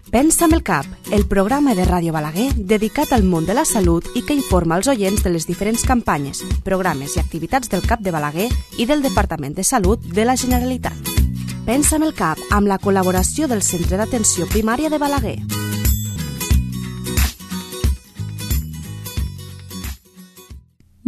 Pensa amb el cap, el programa de Ràdio Balaguer dedicat al món de la salut i que informa els oients de les diferents campanyes, programes i activitats del CAP de Balaguer i del Departament de Salut de la Generalitat. Pensa amb el cap, amb la col·laboració del Centre d'Atenció Primària de Balaguer.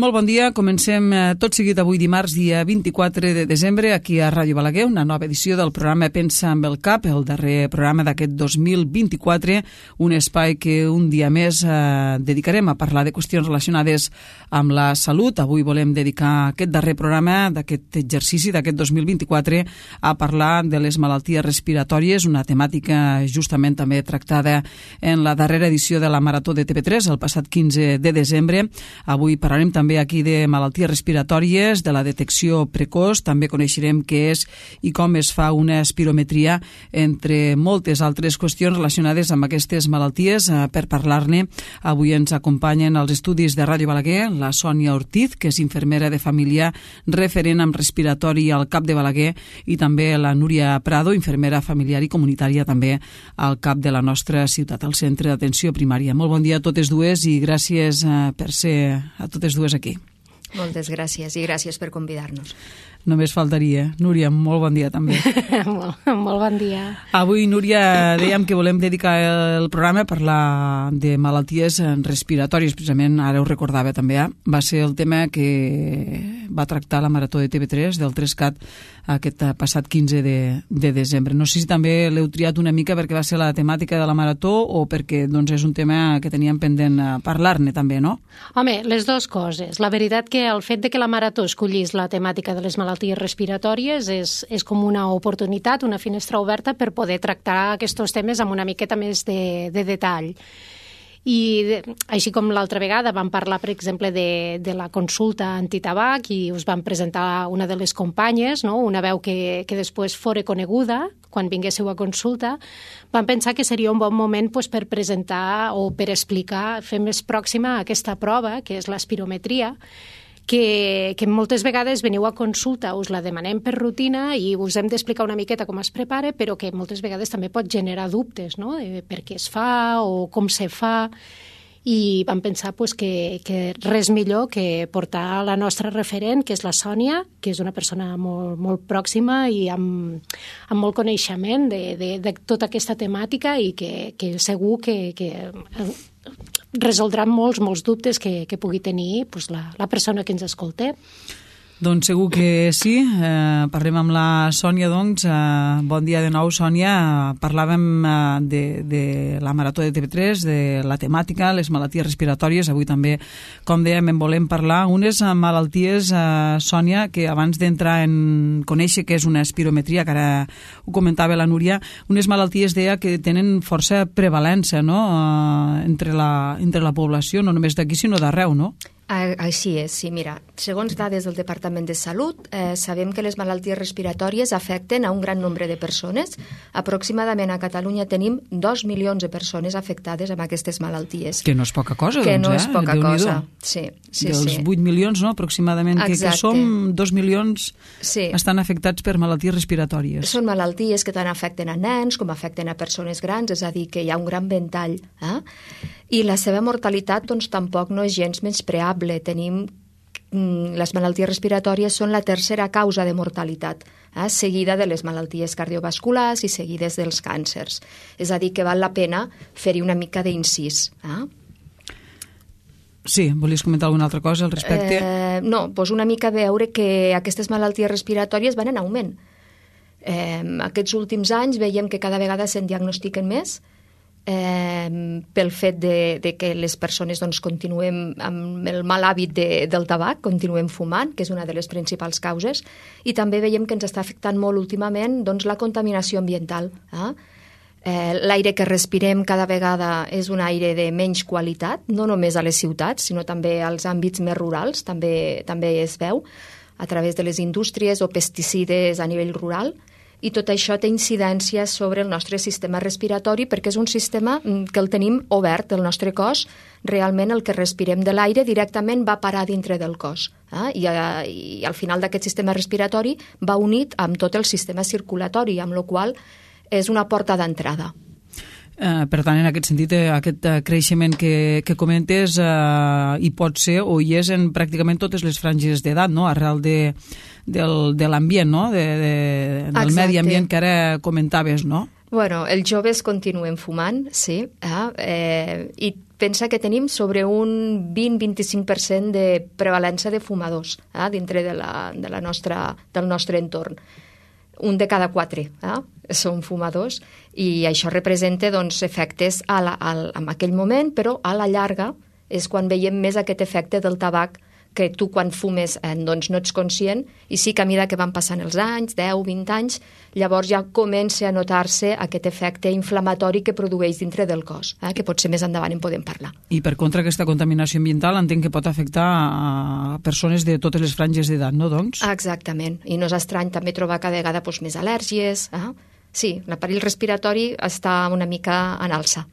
Molt bon dia, comencem tot seguit avui dimarts, dia 24 de desembre, aquí a Ràdio Balaguer, una nova edició del programa Pensa amb el cap, el darrer programa d'aquest 2024, un espai que un dia més dedicarem a parlar de qüestions relacionades amb la salut. Avui volem dedicar aquest darrer programa d'aquest exercici d'aquest 2024 a parlar de les malalties respiratòries, una temàtica justament també tractada en la darrera edició de la Marató de TV3, el passat 15 de desembre. Avui parlarem també aquí de malalties respiratòries, de la detecció precoç, també coneixerem què és i com es fa una espirometria, entre moltes altres qüestions relacionades amb aquestes malalties. Per parlar-ne, avui ens acompanyen als estudis de Ràdio Balaguer la Sònia Ortiz, que és infermera de família referent amb respiratori al CAP de Balaguer, i també la Núria Prado, infermera familiar i comunitària també al CAP de la nostra ciutat, al Centre d'Atenció Primària. Molt bon dia a totes dues i gràcies per ser a totes dues aquí. Moltes gràcies i gràcies per convidar-nos. Només faltaria. Núria, molt bon dia també. Molt bon dia. Avui, Núria, dèiem que volem dedicar el programa a parlar de malalties respiratòries, precisament, ara ho recordava també, va ser el tema que va tractar la Marató de TV3 del 3CAT aquest passat 15 de desembre. No sé si també l'heu triat una mica perquè va ser la temàtica de la Marató o perquè doncs, és un tema que teníem pendent parlar-ne també, no? Home, les dues coses. La veritat que el fet de que la Marató escollís la temàtica de les malalties respiratòries és com una oportunitat, una finestra oberta per poder tractar aquests temes amb una miqueta més de detall. I així com l'altra vegada vam parlar, per exemple, de la consulta antitabac i us vam presentar una de les companyes, no? Una veu que després fora coneguda quan vinguéssiu a consulta, vam pensar que seria un bon moment per presentar o per explicar, fer més pròxima aquesta prova, que és l'espirometria, que moltes vegades veniu a consulta, us la demanem per rutina i us hem d'explicar una miqueta com es prepara, però que moltes vegades també pot generar dubtes, no?, de per què es fa o com se fa, i vam pensar que res millor que portar la nostra referent, que és la Sònia, que és una persona molt, molt pròxima i amb molt coneixement de tota aquesta temàtica i que segur que resoldrà molts dubtes que pugui tenir la persona que ens escolta. Doncs segur que sí. Parlem amb la Sònia, doncs. Bon dia de nou, Sònia. Parlàvem de la Marató de TV3, de la temàtica, les malalties respiratòries. Avui també, com dèiem, en volem parlar. Unes malalties, Sònia, que abans d'entrar en conèixer què és una espirometria, que ara ho comentava la Núria, unes malalties, deia, que tenen força prevalència, no?, entre la població, no només d'aquí, sinó d'arreu, no? Així és, sí. Mira, segons dades del Departament de Salut, sabem que les malalties respiratòries afecten a un gran nombre de persones. Aproximadament a Catalunya tenim 2 milions de persones afectades amb aquestes malalties. Que no és poca cosa, que doncs, no és poca cosa. Sí, dels 8 milions, no?, aproximadament, que som 2 milions estan afectats per malalties respiratòries. Són malalties que tant afecten a nens com afecten a persones grans, és a dir, que hi ha un gran ventall. I la seva mortalitat, doncs, tampoc no és gens menyspreable. Les malalties respiratòries són la tercera causa de mortalitat, seguida de les malalties cardiovasculars i seguides dels càncers. És a dir, que val la pena fer-hi una mica d'incís. Sí, volies comentar alguna altra cosa al respecte? No, doncs una mica veure que aquestes malalties respiratòries van en augment. Aquests últims anys veiem que cada vegada se'n diagnostiquen més, pel fet de que les persones doncs, continuem amb el mal hàbit del tabac, continuem fumant, que és una de les principals causes, i també veiem que ens està afectant molt últimament doncs, la contaminació ambiental. L'aire que respirem cada vegada és un aire de menys qualitat, no només a les ciutats, sinó també als àmbits més rurals, també es veu, a través de les indústries o pesticides a nivell rural, i tot això té incidència sobre el nostre sistema respiratori perquè és un sistema que el tenim obert, el nostre cos, realment el que respirem de l'aire directament va parar dintre del cos. I al final d'aquest sistema respiratori va unit amb tot el sistema circulatori, amb la qual cosa és una porta d'entrada. Per tant, en aquest sentit, aquest creixement que comentes hi pot ser o hi és en pràcticament totes les franges d'edat, no? Arrel de l'ambient, no? Del medi ambient que ara comentaves, no? Bueno, els joves continuen fumant, sí, i pensa que tenim sobre un 20-25% de prevalença de fumadors dintre del nostre entorn. Un de cada 4 són fumadors i això representa efectes en aquell moment, però a la llarga és quan veiem més aquest efecte del tabac que tu quan fumes no ets conscient i sí que a mesura que van passant els anys, 10, 20 anys, llavors ja comença a notar-se aquest efecte inflamatori que produeix dintre del cos, que potser més endavant en podem parlar. I per contra aquesta contaminació ambiental entenc que pot afectar a persones de totes les franges d'edat, no, doncs? Exactament, i no és estrany també trobar cada vegada més al·lèrgies. Sí, l'aparell respiratori està una mica en alça.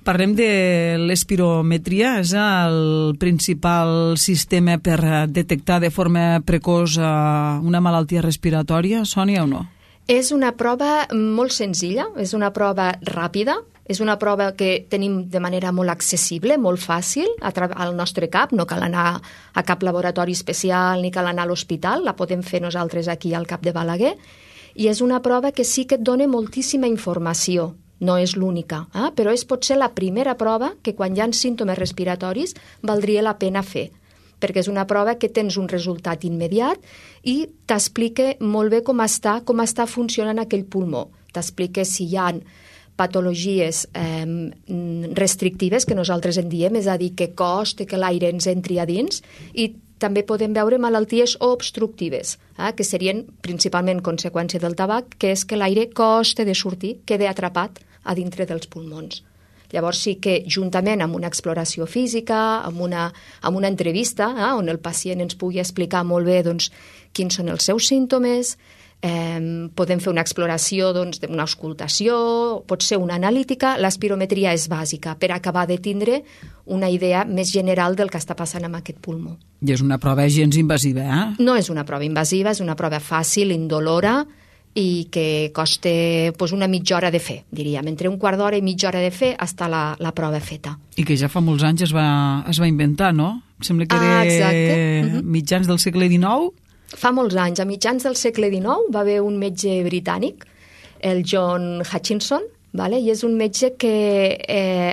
Parlem de l'espirometria. És el principal sistema per detectar de forma precoç una malaltia respiratòria, Sònia, o no? És una prova molt senzilla, és una prova ràpida, és una prova que tenim de manera molt accessible, molt fàcil, al nostre cap, no cal anar a cap laboratori especial ni cal anar a l'hospital, la podem fer nosaltres aquí al Cap de Balaguer, i és una prova que sí que et dona moltíssima informació. No és l'única, però és potser la primera prova que quan hi ha símptomes respiratoris valdria la pena fer, perquè és una prova que tens un resultat immediat i t'explica molt bé com està funcionant aquell pulmó. T'explica si hi ha patologies restrictives, que nosaltres en diem, és a dir, que costa que l'aire ens entri a dins, i també podem veure malalties obstructives, que serien principalment conseqüència del tabac, que és que l'aire costa de sortir, queda atrapat a dintre dels pulmons. Llavors sí que juntament amb una exploració física, amb una entrevista, on el pacient ens pugui explicar molt bé quins són els seus símptomes, podem fer una exploració d'una auscultació, pot ser una analítica. L'espirometria és bàsica per acabar de tindre una idea més general del que està passant amb aquest pulmó. I és una prova gens invasiva, No és una prova invasiva, és una prova fàcil, indolora, i que costa una mitja hora de fer, diríem. Entre un quart d'hora i mitja hora de fer està la prova feta. I que ja fa molts anys es va inventar, no? Sembla que era mitjans del segle XIX. Fa molts anys, a mitjans del segle XIX, va haver un metge britànic, el John Hutchinson, i és un metge que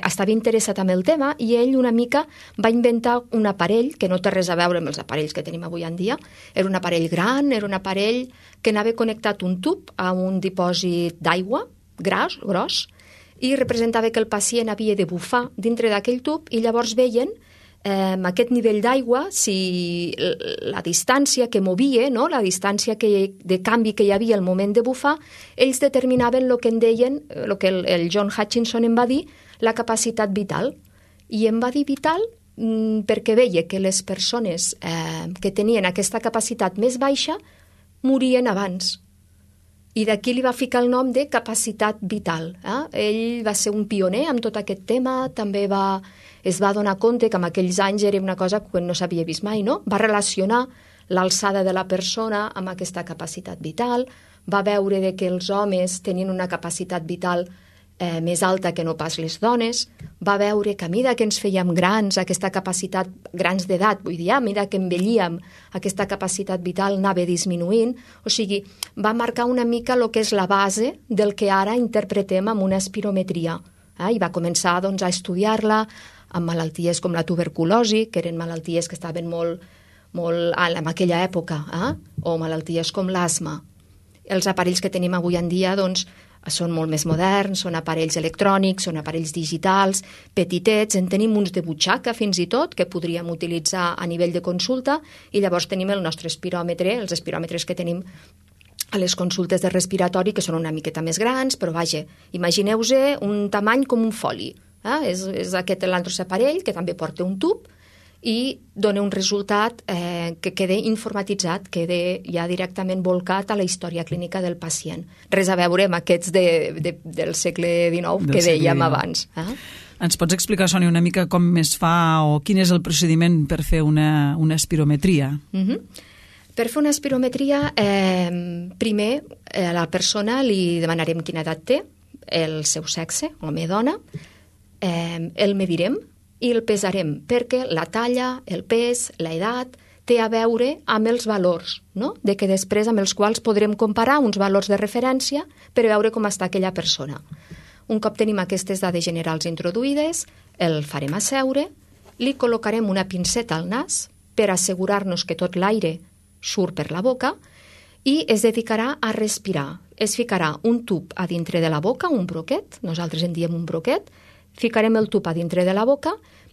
estava interessat en el tema i ell una mica va inventar un aparell que no té res a veure amb els aparells que tenim avui en dia. Era un aparell gran, era un aparell que anava connectat un tub a un dipòsit d'aigua gros i representava que el pacient havia de bufar dintre d'aquell tub i llavors veien aquest nivell d'aigua, si la distància que movia, la distància de canvi que hi havia al moment de bufar, ells determinaven el que en deien, el que el John Hutchinson en va dir, la capacitat vital. I en va dir vital perquè veia que les persones que tenien aquesta capacitat més baixa morien abans. I d'aquí li va ficar el nom de capacitat vital. Ell va ser un pioner amb tot aquest tema, també es va donar compte que en aquells anys era una cosa que no s'havia vist mai, no? Va relacionar l'alçada de la persona amb aquesta capacitat vital, va veure que els homes tenien una capacitat vital més alta que no pas les dones, va veure que a mesura que ens fèiem grans, aquesta capacitat, grans d'edat, vull dir, a mesura que envellíem, aquesta capacitat vital anava disminuint, o sigui, va marcar una mica el que és la base del que ara interpretem amb una espirometria. I va començar a estudiar-la amb malalties com la tuberculosi, que eren malalties que estaven molt en aquella època, o malalties com l'asma. Els aparells que tenim avui en dia són molt més moderns, són aparells electrònics, són aparells digitals, petitets, en tenim uns de butxaca fins i tot, que podríem utilitzar a nivell de consulta, i llavors tenim el nostre espiròmetre, els espiròmetres que tenim a les consultes de respiratori, que són una miqueta més grans, però vaja, imagineu-vos un tamany com un foli. És aquest l'altre aparell, que també porta un tub, i dona un resultat que queda informatitzat, queda ja directament volcat a la història clínica del pacient. Res a veure amb aquests del segle XIX que dèiem abans. Ens pots explicar, Sònia, una mica com es fa o quin és el procediment per fer una espirometria? Per fer una espirometria, primer a la persona li demanarem quina edat té, el seu sexe, home o dona, el medirem i el pesarem, perquè la talla, el pes, l'edat, té a veure amb els valors, no? De que després amb els quals podrem comparar uns valors de referència per veure com està aquella persona. Un cop tenim aquestes dades generals introduïdes, el farem asseure, li col·locarem una pinceta al nas per assegurar-nos que tot l'aire surt per la boca i es dedicarà a respirar. Es ficarà un tub a dintre de la boca, un broquet, nosaltres en diem un broquet, ficarem el tub a dintre de la boca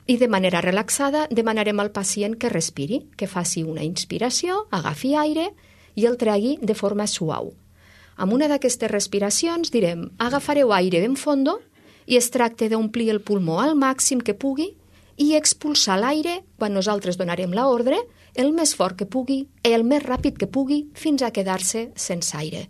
i de manera relaxada demanarem al pacient que respiri, que faci una inspiració, agafi aire i el tregui de forma suau. Amb una d'aquestes respiracions direm agafareu aire ben fondo i es tracta d'omplir el pulmó al màxim que pugui i expulsar l'aire quan nosaltres donarem l'ordre el més fort que pugui i el més ràpid que pugui fins a quedar-se sense aire.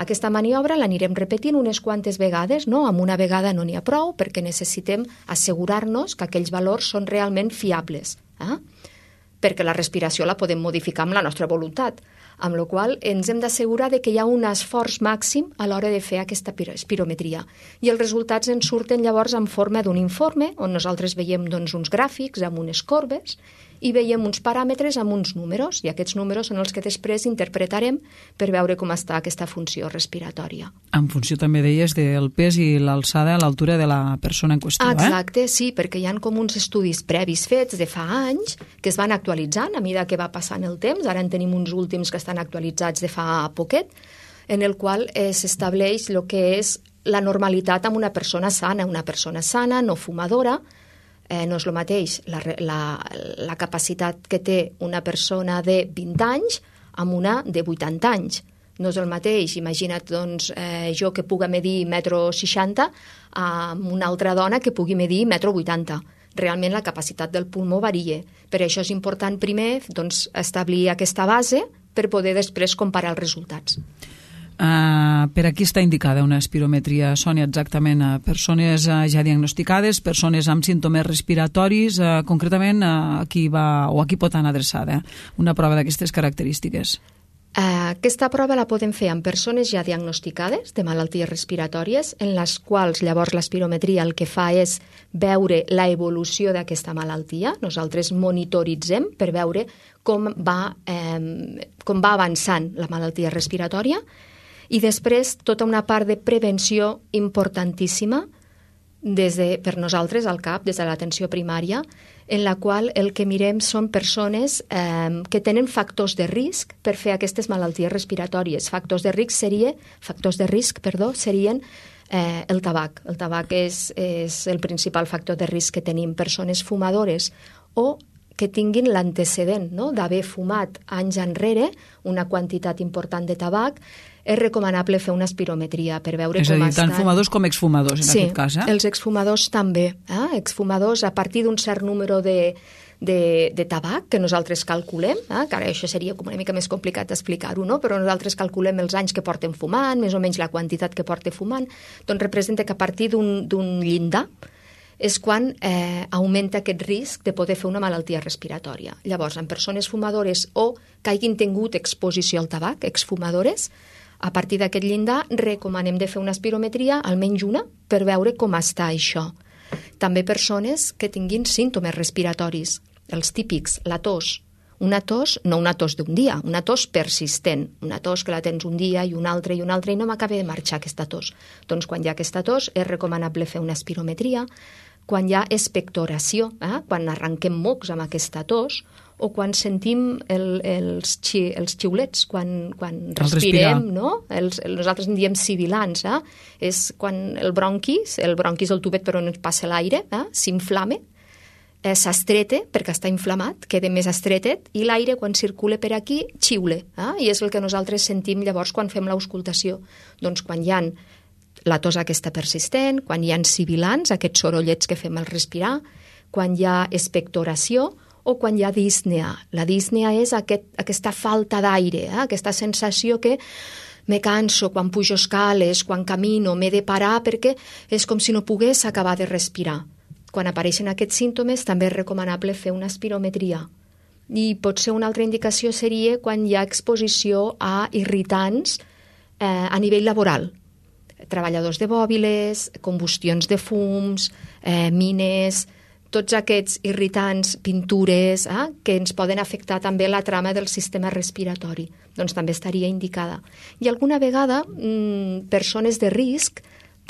Aquesta maniobra l'anirem repetint unes quantes vegades, no? Amb una vegada no n'hi ha prou perquè necessitem assegurar-nos que aquells valors són realment fiables, perquè la respiració la podem modificar amb la nostra voluntat, amb la qual ens hem d'assegurar que hi ha un esforç màxim a l'hora de fer aquesta espirometria. I els resultats ens surten llavors en forma d'un informe on nosaltres veiem uns gràfics amb unes corbes i veiem uns paràmetres amb uns números, i aquests números són els que després interpretarem per veure com està aquesta funció respiratòria. En funció també deies del pes i l'alçada a l'altura de la persona en qüestió, Exacte, sí, perquè hi ha com uns estudis previs fets de fa anys que es van actualitzant a mesura que va passant el temps, ara en tenim uns últims que estan actualitzats de fa poquet, en el qual s'estableix el que és la normalitat amb una persona sana, no fumadora. No és el mateix la capacitat que té una persona de 20 anys amb una de 80 anys. No és el mateix, imagina't jo que puga medir 1,60 m amb una altra dona que pugui medir 1,80 m. Realment la capacitat del pulmó varia. Per això és important primer establir aquesta base per poder després comparar els resultats. Per a qui està indicada una espirometria, Sònia, exactament? Persones ja diagnosticades, persones amb símptomes respiratoris, concretament a qui va o a qui pot anar adreçada una prova d'aquestes característiques? Aquesta prova la podem fer amb persones ja diagnosticades de malalties respiratòries, en les quals llavors l'espirometria el que fa és veure l'evolució d'aquesta malaltia. Nosaltres monitoritzem per veure com va avançant la malaltia respiratòria. I després tota una part de prevenció importantíssima per nosaltres al CAP, des de l'atenció primària, en la qual el que mirem són persones que tenen factors de risc per fer aquestes malalties respiratòries. Factors de risc serien el tabac. El tabac és el principal factor de risc que tenim. Persones fumadores o que tinguin l'antecedent d'haver fumat anys enrere una quantitat important de tabac, és recomanable fer una espirometria per veure com estan. És a dir, tant fumadors com exfumadors, en aquest cas. Sí, els exfumadors també. Exfumadors a partir d'un cert número de tabac que nosaltres calculem, que ara això seria com una mica més complicat d'explicar-ho, però nosaltres calculem els anys que porten fumant, més o menys la quantitat que porta fumant, doncs representa que a partir d'un llindar és quan augmenta aquest risc de poder fer una malaltia respiratòria. Llavors, en persones fumadores o que hagin tingut exposició al tabac, exfumadores, a partir d'aquest llindar recomanem de fer una espirometria, almenys una, per veure com està això. També persones que tinguin símptomes respiratoris, els típics, la tos. Una tos, no una tos d'un dia, una tos persistent, una tos que la tens un dia i un altre i no m'acaba de marxar aquesta tos. Doncs quan hi ha aquesta tos és recomanable fer una espirometria. Quan hi ha expectoració, quan arrenquem mocs amb aquesta tos, o quan sentim els xiulets, quan respirem, no? Nosaltres en diem sibilants, és quan el bronquis, el tubet per on ens passa l'aire, s'inflama, s'estreta perquè està inflamat, queda més estretet, i l'aire quan circula per aquí xiula, i és el que nosaltres sentim llavors quan fem l'auscultació. Doncs quan hi ha la tos aquesta persistent, quan hi ha sibilants, aquests sorollets que fem al respirar, quan hi ha expectoració o quan hi ha dísnea. La dísnea és aquesta falta d'aire, aquesta sensació que me canso quan pujo escales, quan camino, m'he de parar perquè és com si no pogués acabar de respirar. Quan apareixen aquests símptomes també és recomanable fer una espirometria. I potser una altra indicació seria quan hi ha exposició a irritants a nivell laboral. treballadors de bòbiles, combustions de fums, mines, tots aquests irritants, pintures, que ens poden afectar també la trama del sistema respiratori. Doncs també estaria indicada. I alguna vegada persones de risc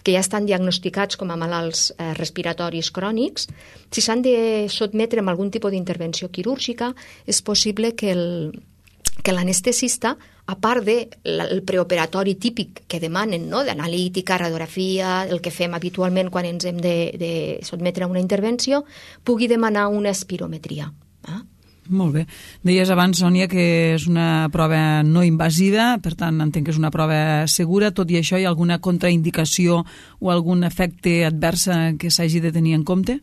que ja estan diagnosticats com a malalts respiratoris crònics, si s'han de sotmetre a algun tipus d'intervenció quirúrgica, és possible que l'anestesista, a part del preoperatori típic que demanen, no? D'analítica, radiografia, el que fem habitualment quan ens hem de sotmetre a una intervenció, pugui demanar una espirometria. Molt bé. Deies abans, Sònia, que és una prova no invasiva, per tant entenc que és una prova segura. Tot i això, hi ha alguna contraindicació o algun efecte advers que s'hagi de tenir en compte?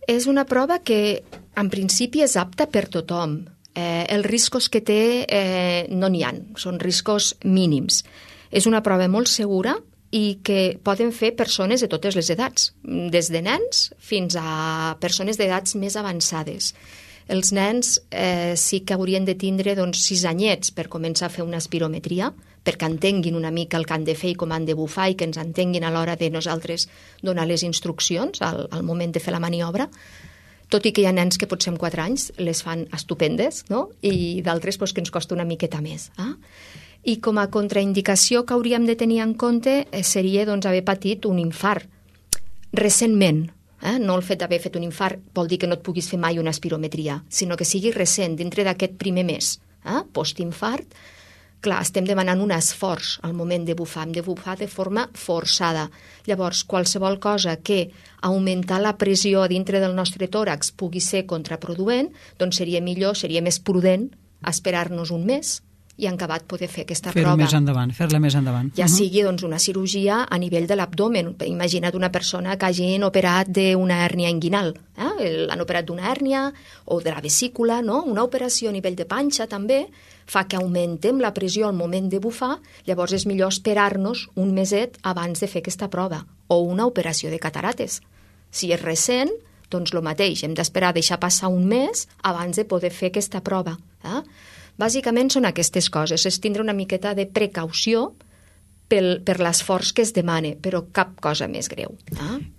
És una prova que en principi és apta per tothom. Els riscos que té no n'hi ha, són riscos mínims. És una prova molt segura i que poden fer persones de totes les edats, des de nens fins a persones d'edats més avançades. Els nens sí que haurien de tindre 6 anyets per començar a fer una espirometria, perquè entenguin una mica el que han de fer i com han de bufar i que ens entenguin a l'hora de nosaltres donar les instruccions al moment de fer la maniobra. Tot i que hi ha nens que potser amb 4 anys les fan estupendes, no? I d'altres que ens costa una miqueta més. I com a contraindicació que hauríem de tenir en compte seria haver patit un infart recentment. No el fet d'haver fet un infart vol dir que no et puguis fer mai una espirometria, sinó que sigui recent, dintre d'aquest primer mes. Postinfart, clar, estem demanant un esforç al moment de bufar, hem de bufar de forma forçada. Llavors, qualsevol cosa que augmentar la pressió dintre del nostre tòrax pugui ser contraproduent, doncs seria millor, seria més prudent esperar-nos un mes i en acabat poder fer aquesta prova. Fer-la més endavant. Ja sigui una cirurgia a nivell de l'abdomen. Imagina't una persona que hagin operat d'una hèrnia inguinal. L'han operat d'una hèrnia o de la vesícula, no? Una operació a nivell de panxa també fa que augmentem la pressió al moment de bufar, llavors és millor esperar-nos un meset abans de fer aquesta prova. O una operació de catarates. Si és recent, doncs el mateix, hem d'esperar deixar passar un mes abans de poder fer aquesta prova. Bàsicament són aquestes coses, és tindre una miqueta de precaució per l'esforç que es demana, però cap cosa més greu.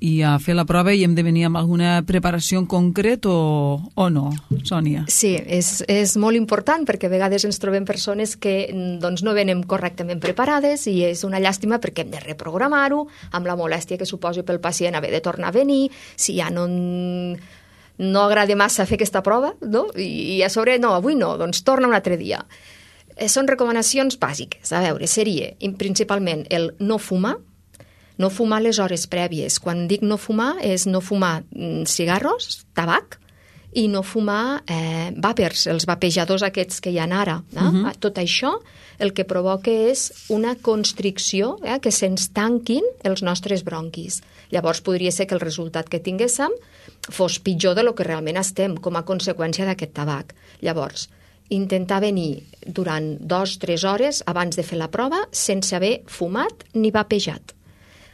I a fer la prova hi hem de venir amb alguna preparació en concret o no, Sònia? Sí, és molt important perquè a vegades ens trobem persones que no venen correctament preparades i és una llàstima perquè hem de reprogramar-ho amb la molèstia que suposi pel pacient haver de tornar a venir, si ja no agrada massa fer aquesta prova, no? I a sobre, no, avui no, doncs torna un altre dia. Són recomanacions bàsiques. A veure, seria principalment el no fumar les hores prèvies. Quan dic no fumar, és no fumar cigarros, tabac, i no fumar vàpers, els vapejadors aquests que hi ha ara. Tot això el que provoca és una constricció, que se'ns tanquin els nostres bronquis. Llavors podria ser que el resultat que tinguéssim fos pitjor de lo que realment estem com a conseqüència d'aquest tabac. Llavors, intentar venir durant 2-3 hores abans de fer la prova sense haver fumat ni vapejat.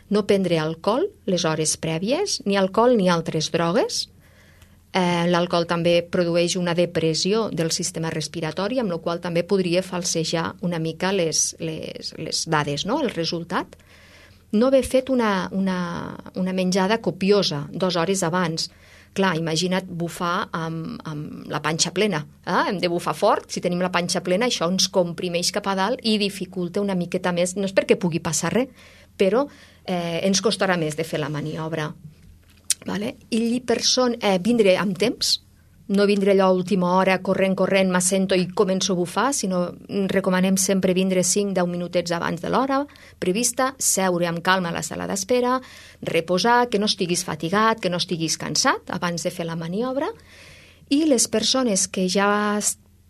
No prendre alcohol les hores prèvies, ni alcohol ni altres drogues. L'alcohol també produeix una depressió del sistema respiratori, amb la qual també podria falsejar una mica les dades, no? El resultat. No haver fet una menjada copiosa 2 hores abans. Clar, imagina't bufar amb la panxa plena. Hem de bufar fort, si tenim la panxa plena, això ens comprimeix cap a dalt i dificulta una miqueta més. No és perquè pugui passar res, però ens costarà més de fer la maniobra. I vindre amb temps, no vindre allò a última hora, corrent, m'assento i començo a bufar, sinó recomanem sempre vindre 5-10 minutets abans de l'hora prevista, seure amb calma a la sala d'espera, reposar, que no estiguis fatigat, que no estiguis cansat abans de fer la maniobra. I les persones que ja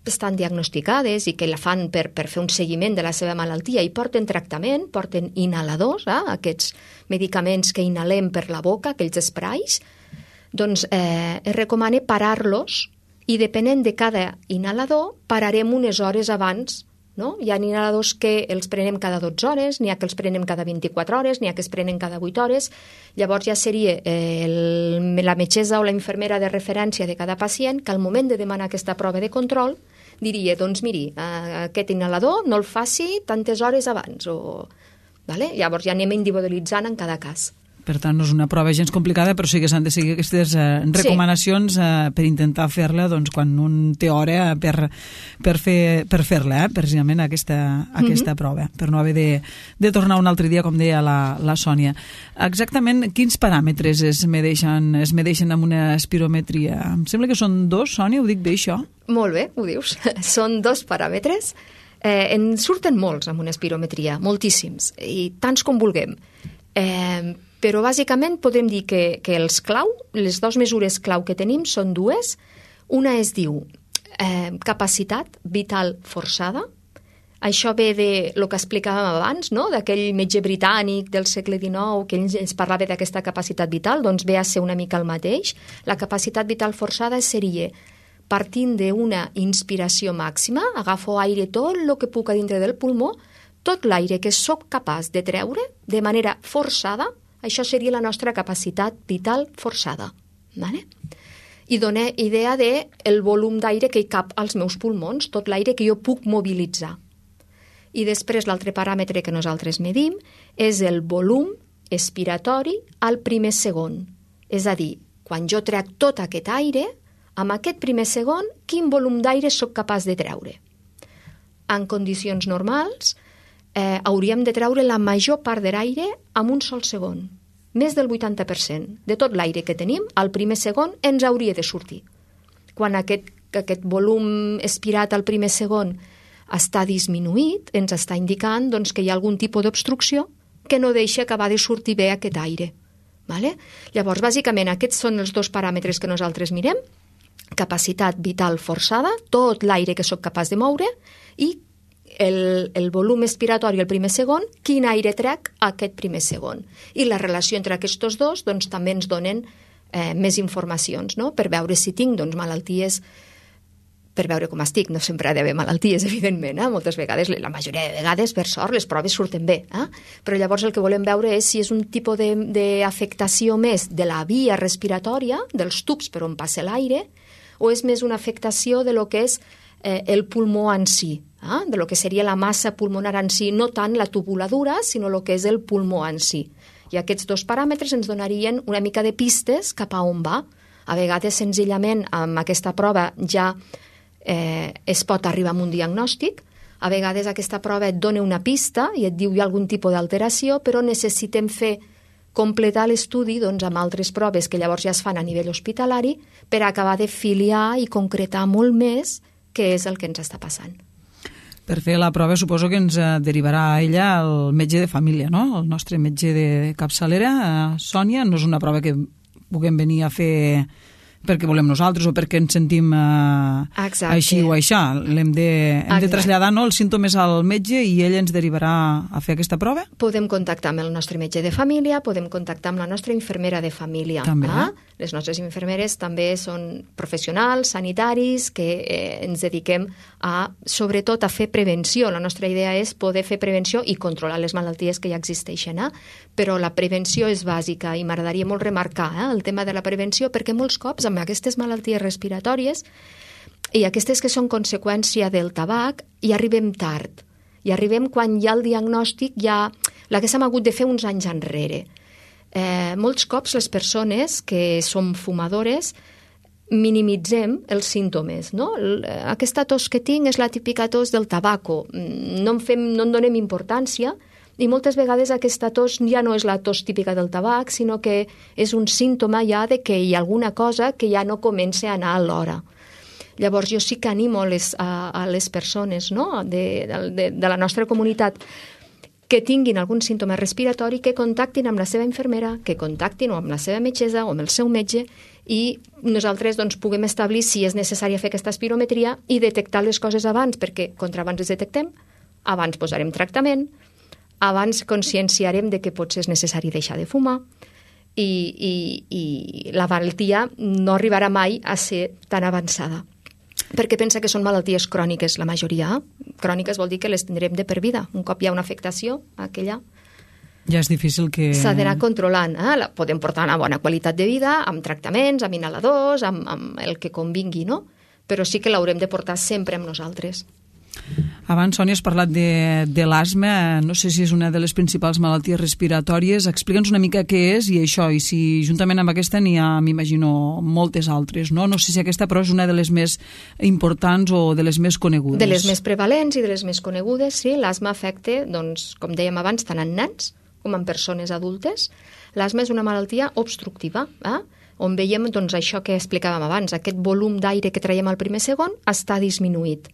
estan diagnosticades i que la fan per fer un seguiment de la seva malaltia i porten tractament, porten inhaladors, aquests medicaments que inhalem per la boca, aquells sprays, doncs es recomana parar-los i depenent de cada inhalador pararem unes hores abans. No? Hi ha inhaladors que els prenem cada 12 hores, n'hi ha que els prenem cada 24 hores, n'hi ha que els prenen cada 8 hores. Llavors ja seria la metgessa o la infermera de referència de cada pacient que al moment de demanar aquesta prova de control diria, doncs miri, aquest inhalador no el faci tantes hores abans o Vale? Llavors ja anem individualitzant en cada cas. Per tant, no és una prova gens complicada, però sí que s'han de seguir aquestes recomanacions per intentar fer-la quan un té hora per fer-la, precisament aquesta prova, per no haver de tornar un altre dia, com deia la Sònia. Exactament quins paràmetres es medeixen amb una espirometria? Em sembla que són 2, Sònia, ho dic bé, això? Molt bé, ho dius. Són 2 paràmetres. En surten molts amb una espirometria, moltíssims, i tants com vulguem. Però bàsicament podem dir que les 2 mesures clau que tenim són 2. Una es diu capacitat vital forçada. Això ve de lo que explicàvem abans, no? D'aquell metge britànic del segle XIX que ens parlava d'aquesta capacitat vital, doncs ve a ser una mica el mateix. La capacitat vital forçada seria partint d'una inspiració màxima, agafo aire tot el que puc a dintre del pulmó, tot l'aire que sóc capaç de treure de manera forçada. Això seria la nostra capacitat vital forçada. Vale? I dona idea del volum d'aire que hi cap als meus pulmons, tot l'aire que jo puc mobilitzar. I després l'altre paràmetre que nosaltres medim és el volum expiratori al primer segon. És a dir, quan jo trec tot aquest aire, amb aquest primer segon, quin volum d'aire sóc capaç de treure? En condicions normals, hauríem de treure la major part de l'aire en un sol segon. Més del 80% de tot l'aire que tenim, al primer segon ens hauria de sortir. Quan aquest volum expirat al primer segon està disminuït, ens està indicant que hi ha algun tipus d'obstrucció que no deixa acabar de sortir bé aquest aire. Vale? Llavors, bàsicament, aquests són els 2 paràmetres que nosaltres mirem. Capacitat vital forçada, tot l'aire que sóc capaç de moure, i el volum expiratori al primer segon, quin aire trec aquest primer segon. I la relació entre aquests 2 també ens donen més informacions, no? Per veure si tinc malalties, per veure com estic. No sempre ha d'haver malalties, evidentment. Moltes vegades, la majoria de vegades, per sort, les proves surten bé. Però llavors el que volem veure és si és un tipus d'afectació més de la via respiratòria, dels tubs per on passa l'aire, o és més una afectació de lo que és el pulmó en si, de lo que seria la massa pulmonar en si, no tant la tubuladura, sinó el que és el pulmó en si. I aquests 2 paràmetres ens donarien una mica de pistes cap a on va. A vegades, senzillament, amb aquesta prova ja es pot arribar a un diagnòstic. A vegades aquesta prova et dona una pista i et diu hi ha algun tipus d'alteració, però necessitem completar l'estudi amb altres proves que llavors ja es fan a nivell hospitalari per acabar de filiar i concretar molt més què és el que ens està passant. Per fer la prova suposo que ens derivarà ella el metge de família, no? El nostre metge de capçalera, Sònia. No és una prova que puguem venir a fer perquè volem nosaltres o perquè ens sentim així o això. Hem de traslladar els símptomes al metge i ell ens derivarà a fer aquesta prova? Podem contactar amb el nostre metge de família, podem contactar amb la nostra infermera de família. També. Les nostres infermeres també són professionals, sanitaris, que ens dediquem sobretot a fer prevenció. La nostra idea és poder fer prevenció i controlar les malalties que ja existeixen. Però la prevenció és bàsica i m'agradaria molt remarcar el tema de la prevenció, perquè molts cops amb aquestes malalties respiratòries i aquestes que són conseqüència del tabac hi arribem tard. Hi arribem quan ja el diagnòstic l'haguéssim hagut de fer uns anys enrere. Molts cops les persones que som fumadores minimitzem els símptomes, no? Aquesta tos que tinc és la típica tos del tabaco. No en donem importància i moltes vegades aquesta tos ja no és la tos típica del tabac, sinó que és un símptoma ja de que hi ha alguna cosa que ja no comença a anar a l'hora. Llavors jo sí que animo a les persones, no? de la nostra comunitat que tinguin algun símptoma respiratori, que contactin amb la seva infermera, que contactin amb la seva metgessa o amb el seu metge i nosaltres puguem establir si és necessari fer aquesta espirometria i detectar les coses abans, perquè contra abans les detectem, abans posarem tractament, abans conscienciarem de que potser és necessari deixar de fumar i la malaltia no arribarà mai a ser tan avançada. Perquè pensa que són malalties cròniques, la majoria. Cròniques vol dir que les tindrem de per vida. Un cop hi ha una afectació, aquella ja és difícil que... s'ha d'anar controlant. Podem portar una bona qualitat de vida, amb tractaments, amb inhaladors, amb el que convingui, no? Però sí que l'haurem de portar sempre amb nosaltres. Abans, Sònia, has parlat de l'asma. No sé si és una de les principals malalties respiratòries. Explica'ns una mica què és i això, i si juntament amb aquesta n'hi ha, m'imagino, moltes altres, no? No sé si aquesta, però, és una de les més importants o de les més conegudes. De les més prevalents i de les més conegudes, sí. L'asma afecta, doncs, com dèiem abans, tant en nens com en persones adultes. L'asma és una malaltia obstructiva, on veiem doncs, això que explicàvem abans, aquest volum d'aire que traiem al primer segon està disminuït.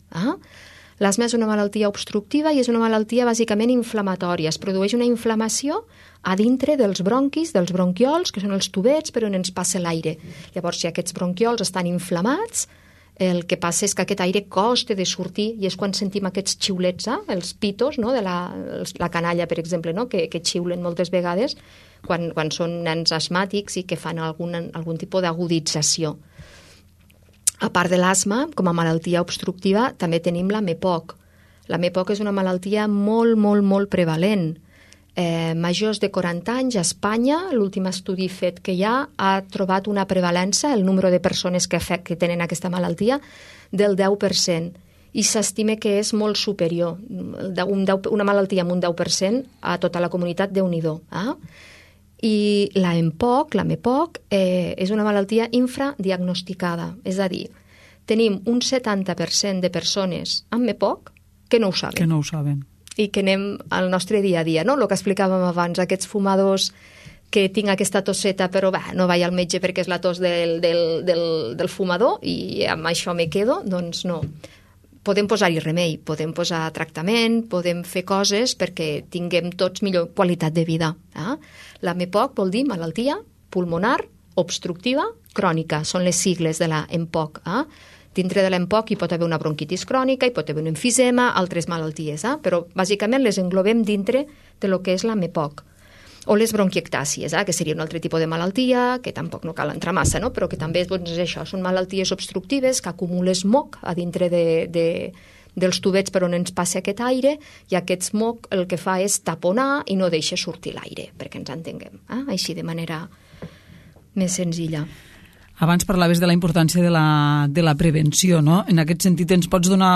L'asma és una malaltia obstructiva i és una malaltia bàsicament inflamatòria. Es produeix una inflamació a dintre dels bronquis, dels bronquiols, que són els tubets per on ens passa l'aire. Llavors, si aquests bronquiols estan inflamats, el que passa és que aquest aire costa de sortir i és quan sentim aquests xiulets, els pitos, no? De la canalla, per exemple, no? que xiulen moltes vegades quan són nens asmàtics i que fan algun tipus d'agudització. A part de l'asma, com a malaltia obstructiva, també tenim la MEPOC. La MEPOC és una malaltia molt, molt, molt prevalent. Majors de 40 anys, a Espanya, l'últim estudi fet que hi ha trobat una prevalença, el número de persones que tenen aquesta malaltia, del 10%. I s'estima que és molt superior, una malaltia amb un 10% a tota la comunitat, Déu-n'hi-do. I la MEPOC, és una malaltia infradiagnosticada. És a dir, tenim un 70% de persones amb MEPOC que no ho saben. Que no ho saben. I que anem al nostre dia a dia, no? El que explicàvem abans, aquests fumadors que tinc aquesta tosseta, però no vaig al metge perquè és la tos del fumador i amb això me quedo, doncs no. Podem posar-hi remei, podem posar tractament, podem fer coses perquè tinguem tots millor qualitat de vida. La MEPOC vol dir malaltia pulmonar obstructiva crònica, són les sigles de la EMPOC. Dintre de l'EMPOC hi pot haver una bronquitis crònica, hi pot haver un emfisema, altres malalties, però bàsicament les englobem dintre de lo que és la MEPOC. O les bronquiectàcies, que seria un altre tipus de malaltia, que tampoc no cal entrar massa, no? Però que també és això, són malalties obstructives que acumulen smog a dintre dels tubets per on ens passa aquest aire i aquest smog el que fa és taponar i no deixa sortir l'aire, perquè ens entenguem, així de manera més senzilla. Abans parlaves de la importància de la prevenció, no? En aquest sentit, ens pots donar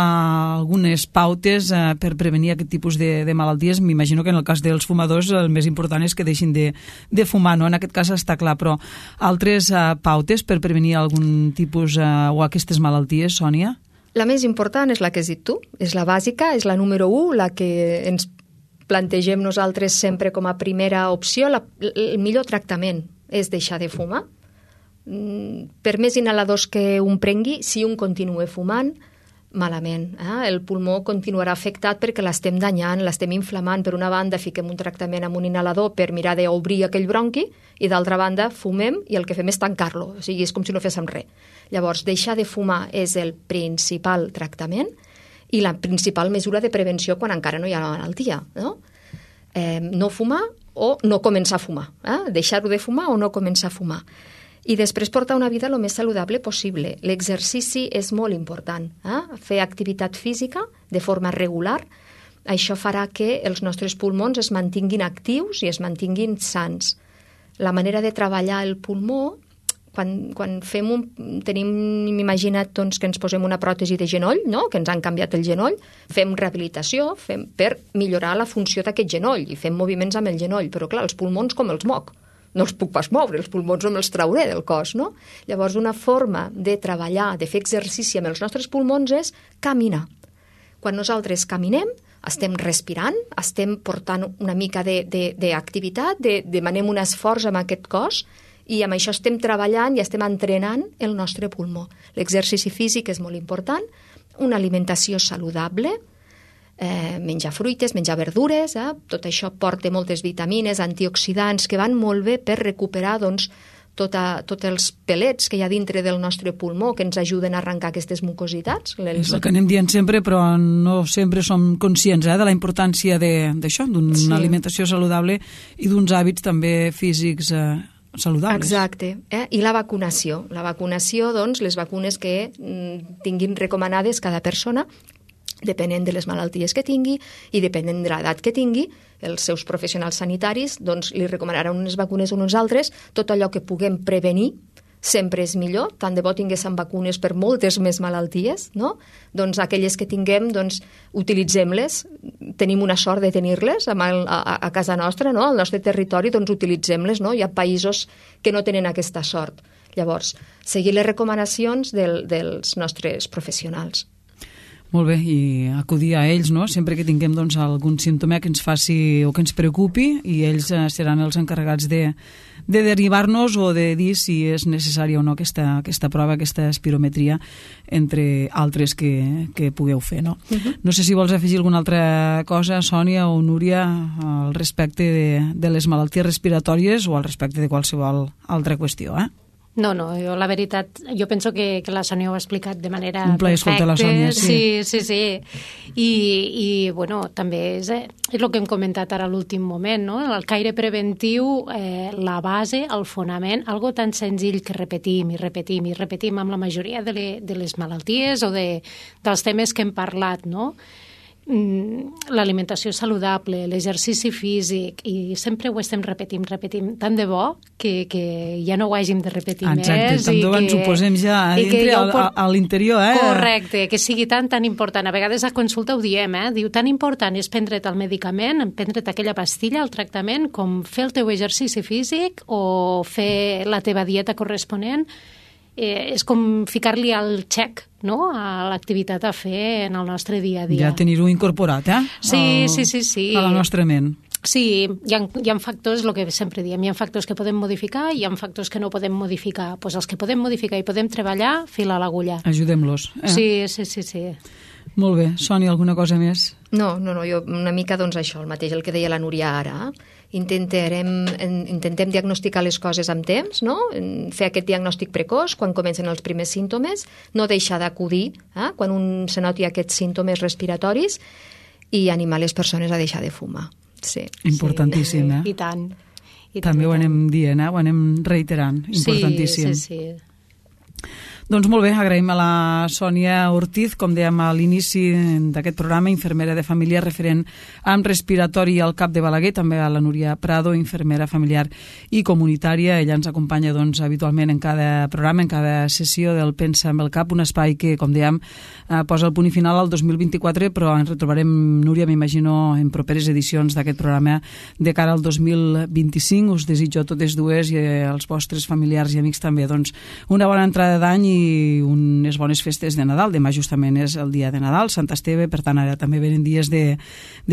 algunes pautes per prevenir aquest tipus de malalties? M'imagino que en el cas dels fumadors el més important és que deixin de fumar, no? En aquest cas està clar, però altres pautes per prevenir algun tipus o aquestes malalties, Sònia? La més important és la que has dit tu, és la bàsica, és la número 1, la que ens plantegem nosaltres sempre com a primera opció. El millor tractament és deixar de fumar. Per més inhaladors que un prengui, si un continua fumant, malament. El pulmó continuarà afectat perquè l'estem danyant, l'estem inflamant. Per una banda, fiquem un tractament amb un inhalador per mirar d'obrir aquell bronqui i d'altra banda, fumem i el que fem és tancar-lo. O sigui, és com si no féssim res. Llavors, deixar de fumar és el principal tractament i la principal mesura de prevenció quan encara no hi ha la malaltia. No fumar o no començar a fumar. Deixar-ho de fumar o no començar a fumar. I després portar una vida el més saludable possible. L'exercici és molt important. Fer activitat física de forma regular, això farà que els nostres pulmons es mantinguin actius i es mantinguin sans. La manera de treballar el pulmó, quan tenim imaginat doncs, que ens posem una pròtesi de genoll, no? Que ens han canviat el genoll, fem rehabilitació per millorar la funció d'aquest genoll i fem moviments amb el genoll, però clar, els pulmons com els moc. No els puc pas moure, els pulmons no me'ls trauré del cos, no? Llavors, una forma de treballar, de fer exercici amb els nostres pulmons és caminar. Quan nosaltres caminem, estem respirant, estem portant una mica d'activitat, demanem un esforç amb aquest cos i amb això estem treballant i estem entrenant el nostre pulmó. L'exercici físic és molt important, una alimentació saludable, menjar fruites, menjar verdures, tot això porta moltes vitamines, antioxidants que van molt bé per recuperar tots els pelets que hi ha dintre del nostre pulmó que ens ajuden a arrencar aquestes mucositats. És el que anem dient sempre, però no sempre som conscients de la importància d'això, d'una alimentació saludable i d'uns hàbits també físics saludables. Exacte. I la vacunació. La vacunació, doncs, les vacunes que tinguin recomanades cada persona, depenent de les malalties que tingui i depenent de l'edat que tingui, els seus professionals sanitaris doncs, li recomanaran unes vacunes o unes altres, tot allò que puguem prevenir sempre és millor, tant de bo tinguéssim vacunes per moltes més malalties, no? Doncs aquelles que tinguem, doncs, utilitzem-les, tenim una sort de tenir-les a casa nostra, no? Al nostre territori, doncs utilitzem-les, no? Hi ha països que no tenen aquesta sort. Llavors, seguir les recomanacions dels nostres professionals. Molt bé, i acudir a ells, no? Sempre que tinguem doncs, algun símptoma que ens faci o que ens preocupi, i ells seran els encarregats de derivar-nos o de dir si és necessària o no aquesta prova, aquesta espirometria, entre altres que pugueu fer, no? No sé si vols afegir alguna altra cosa, Sònia o Núria, al respecte de les malalties respiratòries o al respecte de qualsevol altra qüestió, No, jo la veritat, jo penso que la Sònia ho ha explicat de manera un plaer escoltar la Sònia, sí. I bueno, també és el que hem comentat ara a l'últim moment, no? El caire preventiu, la base, el fonament, algo tan senzill que repetim amb la majoria de les malalties o dels temes que hem parlat, no? L'alimentació saludable, l'exercici físic, i sempre ho estem repetint, tant de bo que ja no ho hàgim de repetir més. Exacte, tant de bo ens ho posem ja a dintre, a l'interior. Correcte, que sigui tan important. A vegades a consulta ho diem, diu, tan important és prendre't el medicament, prendre't aquella pastilla, el tractament, com fer el teu exercici físic o fer la teva dieta corresponent. És com ficar-li el xec, no?, a l'activitat a fer en el nostre dia a dia. Ja tenir-ho incorporat, Sí. A la nostra ment. Sí, hi ha factors, el que sempre diem, hi ha factors que podem modificar i hi ha factors que no podem modificar. Doncs els que podem modificar i podem treballar, fila a l'agulla. Ajudem-los. Sí. Molt bé. Sònia, alguna cosa més? No, jo una mica doncs això, el mateix, el que deia la Núria ara. Intentem diagnosticar les coses amb temps, no? Fer aquest diagnòstic precoç quan comencen els primers símptomes, no deixar d'acudir quan un se noti aquests símptomes respiratoris i animar les persones a deixar de fumar. Sí. Importantíssim, I tant. També ho anem dient, ho anem reiterant. Importantíssim. Sí. Doncs molt bé, agraïm a la Sònia Ortiz, com dèiem a l'inici d'aquest programa, infermera de família referent amb respiratori al CAP de Balaguer, també a la Núria Prado, infermera familiar i comunitària. Ella ens acompanya doncs, habitualment en cada programa, en cada sessió del Pensa amb el CAP, un espai que, com dèiem, posa el punt i final al 2024, però ens retrobarem, Núria, m'imagino, en properes edicions d'aquest programa de cara al 2025. Us desitjo a totes dues i als vostres familiars i amics també doncs, una bona entrada d'any i unes bones festes de Nadal. Demà justament és el dia de Nadal, Sant Esteve, per tant ara també venen dies de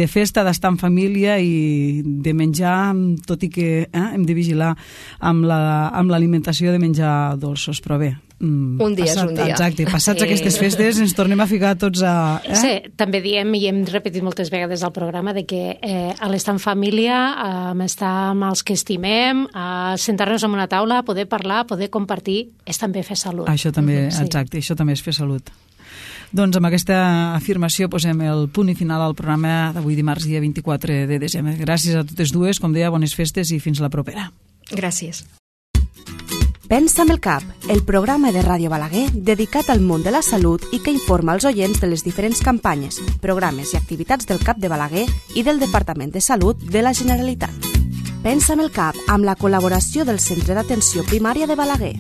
festa, d'estar en família i de menjar, tot i que hem de vigilar amb l'alimentació de menjar dolços, però bé. Un dia és un dia. Exacte, passats aquestes festes ens tornem a ficar tots a... Sí, també diem, i hem repetit moltes vegades al programa, de que l'estar en família, estar amb els que estimem, sentar-nos en una taula, poder parlar, poder compartir, és també fer salut. Això també, exacte, això també és fer salut. Doncs amb aquesta afirmació posem el punt i final al programa d'avui dimarts, dia 24 de desembre. Gràcies a totes dues, com deia, bones festes i fins la propera. Gràcies. Pensa amb el CAP, el programa de Ràdio Balaguer dedicat al món de la salut i que informa els oients de les diferents campanyes, programes i activitats del CAP de Balaguer i del Departament de Salut de la Generalitat. Pensa amb el CAP amb la col·laboració del Centre d'Atenció Primària de Balaguer.